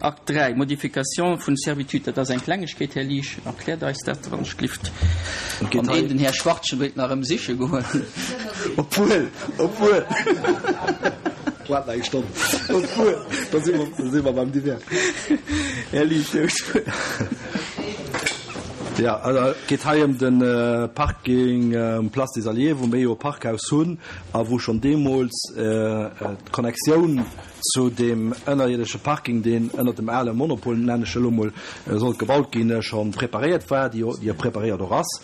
Akt 3, Modification vun Servitude, dat ass eng Klengegkeet, Här Liesch, erkläert eis dat, wann ech glift. An een, den Här Schwartgen, wéilt nach erëm siche goen. Obwuel, obwuel, waart nach eng Stonn, obwuel, da si mer, da si mer beim Divers. Här Liesch, Dir hutt d'Wuert. Jo, also et geet hei ëm de Parking um Place des Alliés, wou mir jo e Parkhaus hunn a wou schonn deemools d'Connectioun Zu deem ënnerierdesche Parking, deen ënnert dem ale Monopol, nennen ech elo mol, sollt gebaut ginn, scho preparéiert war, déi jo preparéiert och ass,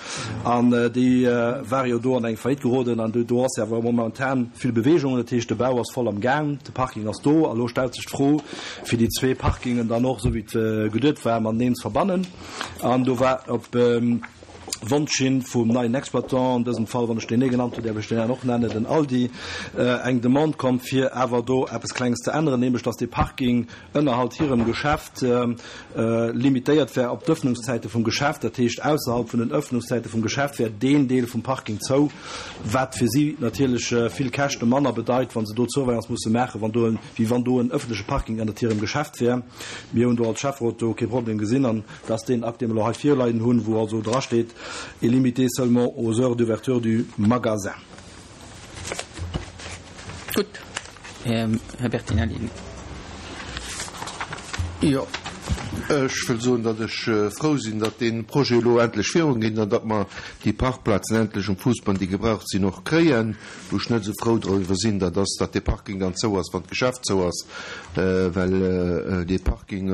an déi ware jo do an eng Faillite geroden, an do ass jo awer momentan vill Bewegung, dat heescht de Bau ass voll am Gaang, de Parking ass do, a lo stellt sech d'Fro, fir déi zwee Parkingen dann och, esou wéi et geduet war, mateneen ze verbannen. An do war op. Wonsch hin vum neien Exploitant, an dësem Fall, wann ech deen nee genannt hunn, däerf ech deen aner och nennen, den Aldi, eng Demande komm, fir awer do eppes Klenges ze änneren, nämlech dass dee Parking ënnerhalt hirem Geschäft limitéiert wär op d'Ëffnungszäite vum Geschäft. Dat heescht, ausserhalb vun den Ëffnungszäite vum Geschäft wär deen Deel vum Parking zou, wat fir si natierlech vill Käschte manner bedeit, wa se do d'Surveillance musse maachen, wann do en, wéi wann do en ëffentleche Parking ënnert hirem Geschäft wär. Mir hunn do als Schäfferot do kee Problem gesinn an Dat ass deen Akt, dee mer elo hei virleien hunn, wou also drasteet, est limité seulement aux heures d'ouverture du magasin. Gutt, Här Bertinelli. Jo, ech wëll soen, datt ech frou sinn, datt dee Projet elo endlech virungeet an datt mer déi Parkplazen endlech um Fousbann, déi gebraucht sinn, och kréien. Wou ech net esou frou driwwer sinn, dat ass, datt dee Parking dann zou ass, wann d'Geschäft zou ass, well dee Parking,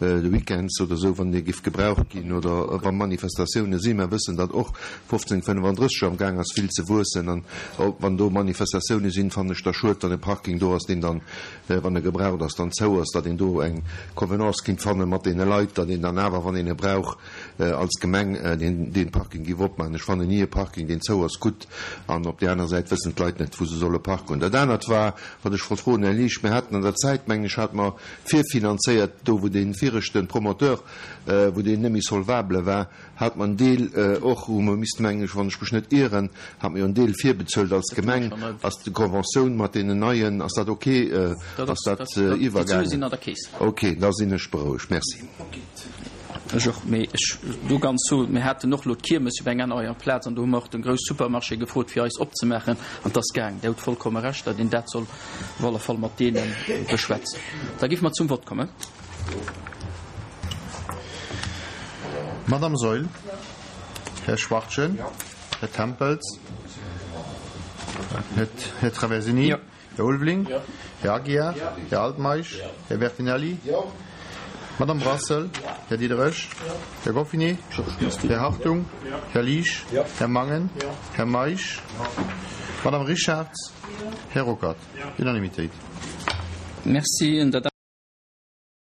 de Weekends oder esou, wann dee giff gebraucht ginn oder wa Manifestatioune sinn. Mer wëssen, datt och 1535 am Gaang ass vill ze wuessen an wann do Manifestatioune sinn, fannen ech da schued, wann e Parking do ass, deen dann, wann e gebraucht ass, dann zou ass, datt een do eng Convenance kinnt fanne mat deene Leit, datt een dann awer, wann een e brauch, als Gemeng dee Parking giff opmaachen. Ech fannen ni e Parking, deen zou ass, gutt an op där aner Säit wëssen d'Leit net, wou se solle parken. Dat anert war, wat ech wollt froen, Här Liesch, mir haten an der Zäit, mengen ech, hate mer virfinanzéiert, do wou dee viregte Promoteur, wou deen net méi solvable war, hat mer en Deel och, hu mer missten, mengen ech, wann ech mech net ieren, hat mer jo en Deel virbezuelt als Gemeng. Ass déi Conventioun mat deenen Neien, ass dat ok? Ass dat iwwergaangen? Ok, da sinn ech berouegt. Merci. Ech och, mee ech do ganz zu, mir haten och elo d'Kiermes op eng aner Plaz an do hu mer och de grouss Supermarché gefrot fir eis opzemaachen an 't ass gaang. Dir hutt vollkomme Recht, datt een dat soll op alle Fall mat deene beschwätzen. Da géife mer zum Vott kommen. Madame Saeul, Här Schwachtgen, Här Tempels, Här Traversini, Här Ulveling, Här Aguiar, Här Altmeisch, Här Bertinelli, Madame Brassel, Här Diderich, Här Goffinet, Här Hartung, Här Liesch, Här Mangen, Här Meisch, Madame Richartz, Här Ruckert. Unanimitéit. Merci.